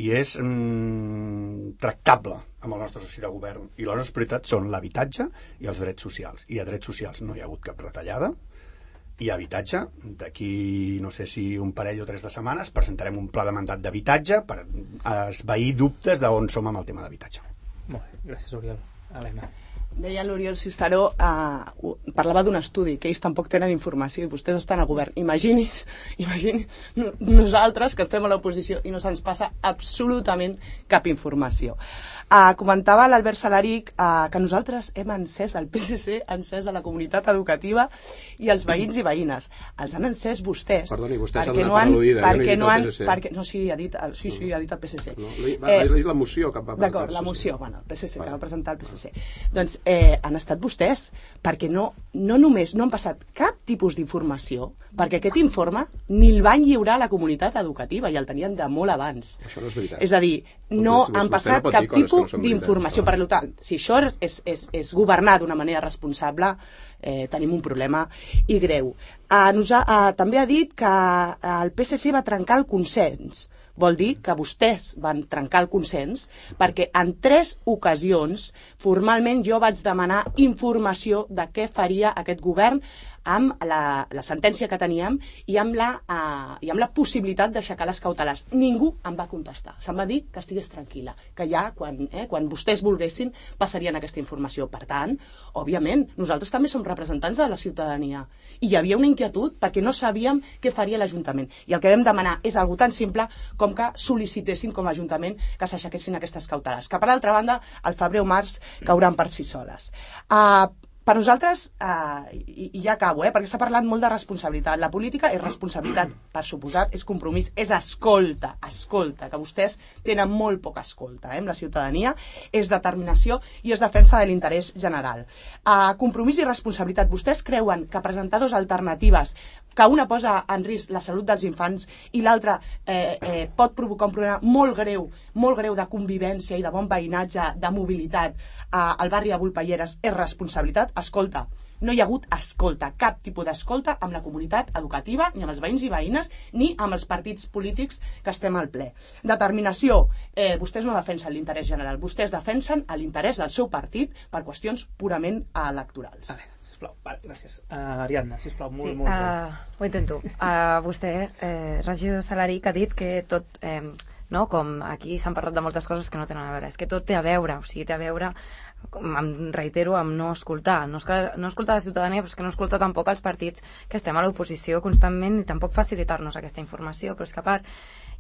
E: i és mm, tractable amb el nostre soci de govern, i les nostres prioritats són l'habitatge i els drets socials, i a drets socials no hi ha hagut cap retallada, i a habitatge, d'aquí no sé si un parell o tres de setmanes presentarem un pla de mandat d'habitatge per esvair dubtes d'on som amb el tema d'habitatge.
B: Molt bé, gràcies Oriol. Helena.
F: Deia l'Oriol Cisteró, eh, parlava d'un estudi, que ells tampoc tenen informació i vostès estan a govern. Imagini's, imagini's nosaltres que estem a l'oposició i no se'ns passa absolutament cap informació. Eh, comentava l'Albert Salaric eh, que nosaltres hem encès, el P S C ha encès a la comunitat educativa i els veïns i veïnes. Els han encès vostès.
C: Perdoni, vostè s'ha
F: perquè
C: donat
F: no han,
C: per al·ludida,
F: perquè
C: jo
F: no
C: no he
F: han,
C: dit el P S C.
F: perquè, no, sí, ha dit, el, sí, sí, ha dit el P S C.
C: No, va, eh, la moció que va presentar.
F: D'acord, la moció, bueno, el P S C, que va presentar el P S C. Doncs eh, han estat vostès, perquè no, no només no han passat cap tipus d'informació, perquè aquest informe ni el van lliurar a la comunitat educativa i el tenien de molt abans.
C: Això no és veritat.
F: És a dir, no
C: Vostè
F: han
C: no
F: passat
C: pot
F: cap
C: dir coses
F: tipus
C: que no són
F: d'informació.
C: veritat.
F: Per tant, si això és, és, és governar d'una manera responsable, eh, tenim un problema i greu. Eh, nosa, eh, també ha dit que el P S C va trencar el consens. Vol dir que vostès van trencar el consens perquè en tres ocasions formalment jo vaig demanar informació de què faria aquest govern amb la, la sentència que teníem i amb la, uh, i amb la possibilitat d'aixecar les cautelars. Ningú em va contestar. Se'm va dir que estigués tranquil·la, que ja quan, eh, quan vostès volguessin passarien aquesta informació. Per tant, òbviament, nosaltres també som representants de la ciutadania i hi havia una inquietud perquè no sabíem què faria l'Ajuntament. I el que vam demanar és algo tan simple com que sol·licitessin com a Ajuntament que s'aixequessin aquestes cautelars, que per altra banda, al febrer o març cauran per si soles. Uh, Per nosaltres, eh, i, i ja acabo, eh, perquè està parlant molt de responsabilitat. La política és responsabilitat, per suposat, és compromís, és escolta, escolta, que vostès tenen molt poca escolta eh, amb la ciutadania, és determinació i és defensa de l'interès general. Eh, compromís i responsabilitat. Vostès creuen que presentar dos alternatives, que una posa en risc la salut dels infants i l'altra eh, eh, pot provocar un problema molt greu, molt greu de convivència i de bon veïnatge, de mobilitat eh, al barri de Volpelleres, és responsabilitat? Escolta, no hi ha hagut escolta, cap tipus d'escolta amb la comunitat educativa, ni amb els veïns i veïnes, ni amb els partits polítics que estem al ple. Determinació, eh, vostès no defensen l'interès general, vostès defensen l'interès del seu partit per qüestions purament electorals.
B: A veure, sisplau, vale, gràcies. Uh, Ariadna, sisplau, molt,
G: sí,
B: molt,
G: uh,
B: molt.
G: Ho intento. Uh, vostè, eh, regidor Salaric, ha dit que tot... Eh, no? Com aquí s'han parlat de moltes coses que no tenen a veure, és que tot té a veure, o sigui, té a veure em reitero, amb no escoltar. No, no escoltar la ciutadania, però és que no escoltar tampoc els partits que estem a l'oposició constantment i tampoc facilitar-nos aquesta informació. Però és que a part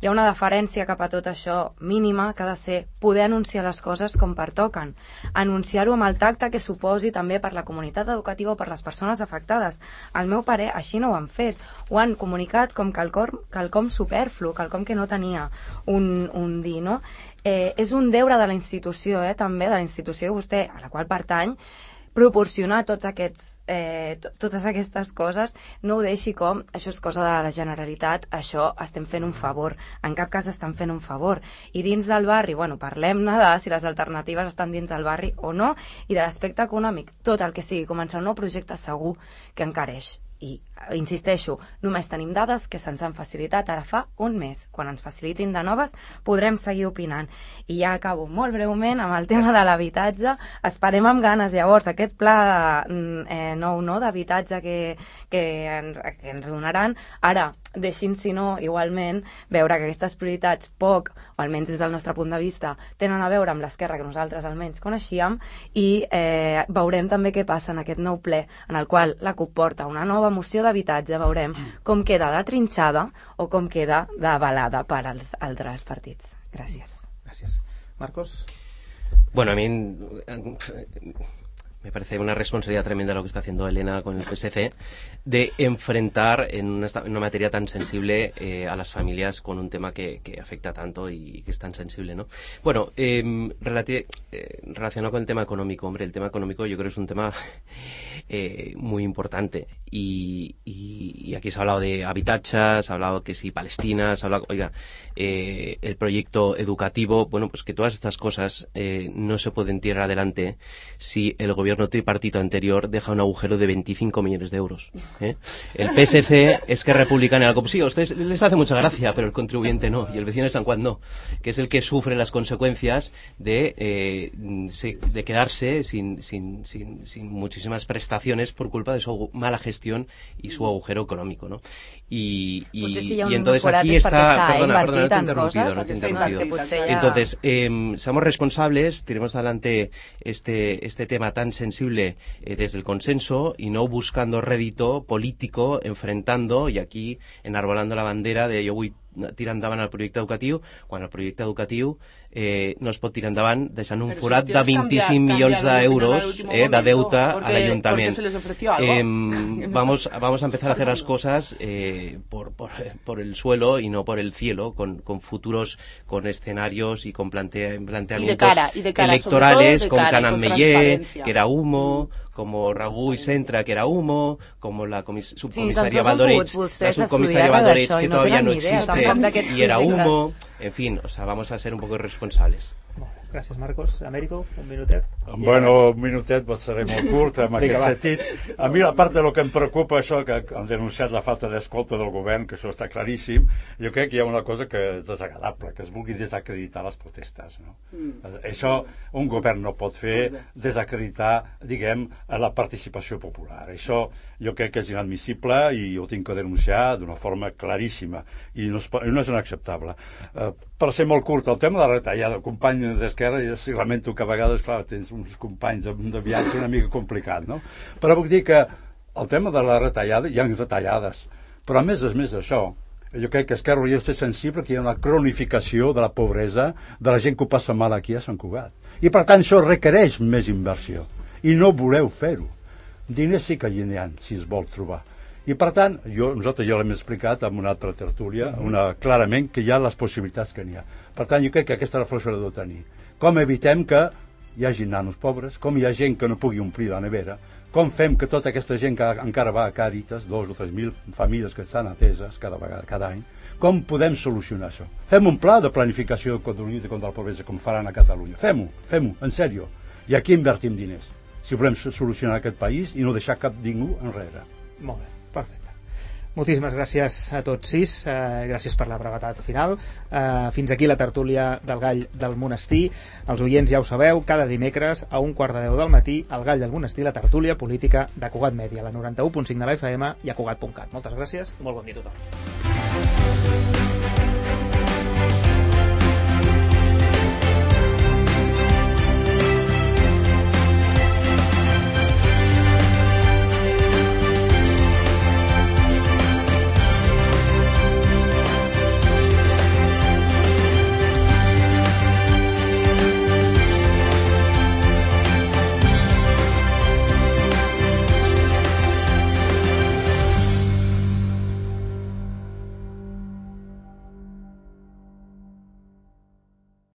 G: hi ha una deferència cap a tot això mínima que ha de ser poder anunciar les coses com pertoquen. Anunciar-ho amb el tacte que suposi també per la comunitat educativa o per les persones afectades. Al meu parer, així no ho han fet. Ho han comunicat com quelcom, quelcom superflu, quelcom que no tenia un, un dir, no? Eh, és un deure de la institució, eh, també, de la institució que vostè, a la qual pertany, proporcionar tots aquests, eh, totes aquestes coses. No ho deixi com això és cosa de la Generalitat, això estem fent un favor. En cap cas estan fent un favor. I dins del barri, bueno, parlem-ne de si les alternatives estan dins del barri o no, i de l'aspecte econòmic, tot el que sigui començar un nou projecte segur que encareix. I, insisteixo, només tenim dades que se'ns han facilitat ara fa un mes. Quan ens facilitin de noves podrem seguir opinant. I ja acabo molt breument amb el tema de l'habitatge. Esperem amb ganes llavors aquest pla eh, nou no, d'habitatge que, que, ens, que ens donaran. Ara, deixin, si no, igualment, veure que aquestes prioritats poc, o almenys des del nostre punt de vista, tenen a veure amb l'esquerra que nosaltres almenys coneixíem, i eh, veurem també què passa en aquest nou ple, en el qual la CUP porta una nova moció d'habitatge, veurem com queda de trinxada o com queda d'avalada per als altres partits. Gràcies.
B: Gràcies. Marcos?
D: Bueno, a mí me parece una responsabilidad tremenda lo que está haciendo Elena con el P S C de enfrentar en una, en una materia tan sensible eh, a las familias con un tema que, que afecta tanto y que es tan sensible, ¿no? Bueno, eh, relati- eh, relacionado con el tema económico, hombre, el tema económico yo creo que es un tema eh, muy importante y, y, y aquí se ha hablado de habitatge, se ha hablado que sí, Palestina, se ha hablado, oiga, eh, el proyecto educativo, bueno, pues que todas estas cosas eh, no se pueden tirar adelante si el gobierno tripartito anterior deja un agujero de veinticinco millones de euros. ¿eh? El P S C es que republicana algo. Sí, a ustedes les hace mucha gracia, pero el contribuyente no, y el vecino de San Juan no, que es el que sufre las consecuencias de, eh, de quedarse sin, sin, sin, sin muchísimas prestaciones por culpa de su mala gestión y su agujero económico, ¿no? Y, y,
G: si
D: y entonces aquí está, perdona, perdona, no te he interrumpido, no te he interrumpido. Entonces, eh, seamos responsables, tiremos adelante este, este tema tan sensible eh, desde el consenso y no buscando rédito político, enfrentando y aquí enarbolando la bandera de yo voy tirar endavant el projecte educatiu, quan el projecte educatiu eh, no es pot tirar endavant deixant un forat de veinticinc milions d'euros eh, de deute a l'Ajuntament. Eh, vamos, vamos a empezar a hacer las cosas eh, por, por, por el suelo y no por el cielo, con, con futuros, con escenarios y con plantea, planteamientos y de cara, y de cara, electorales, con Canan Meller, que era humo, como Raguy Centra, que era humo, como la comis- subcomisaria sí, Valdoreig, la subcomisaria Valdoreig, que no todavía no existe y era humo, en fin, o sea, vamos a ser un poco irresponsables.
B: Gràcies, Marcos. Américo, un minutet.
H: Bueno, un minutet, però seré molt curt en aquest sentit. A mi, a part del que em preocupa, això que han denunciat la falta d'escolta del govern, que això està claríssim, jo crec que hi ha una cosa que és desagradable, que es vulgui desacreditar les protestes. No? Mm. Això un govern no pot fer, desacreditar, diguem, la participació popular. Això jo crec que és inadmissible i ho tinc que denunciar d'una forma claríssima i no és, no és inacceptable. Uh, per ser molt curt, el tema de la retallada, el company d'Esquerra, jo sí lamento que a vegades, clar, tens uns companys de, de viatge una mica complicat, no? Però vull dir que el tema de la retallada, hi ha retallades, però a més és més això. Jo crec que Esquerra hauria de ser sensible que hi ha una cronificació de la pobresa de la gent que ho passa mal aquí a Sant Cugat. I per tant això requereix més inversió. I no voleu fer-ho. Diners sí que hi ha, si es vol trobar. I per tant, jo, nosaltres ja l'hem explicat en una altra tertúlia, una, clarament que hi ha les possibilitats que n'hi ha. Per tant, jo crec que aquesta reflexió l'ha de tenir. Com evitem que hi hagi nanos pobres, com hi ha gent que no pugui omplir la nevera, com fem que tota aquesta gent que encara va a Càritas, dos o tres mil famílies que estan ateses cada vegada, cada any, com podem solucionar això? Fem un pla de planificació contra la pobresa com faran a Catalunya. Fem-ho, fem-ho, en sèrio. I aquí invertim diners, si volem solucionar aquest país i no deixar cap ningú enrere.
B: Molt bé, perfecte. Moltíssimes gràcies a tots sis, eh, gràcies per la brevetat final. Eh, fins aquí la tertúlia del Gall del Monestir. Els oients ja ho sabeu, cada dimecres a un quart de deu del matí, el Gall del Monestir, la tertúlia política de Cugat Mèdia, la noranta-u punt cinc de la F M i a Cugat punt cat. Moltes gràcies i molt bon dia a tothom.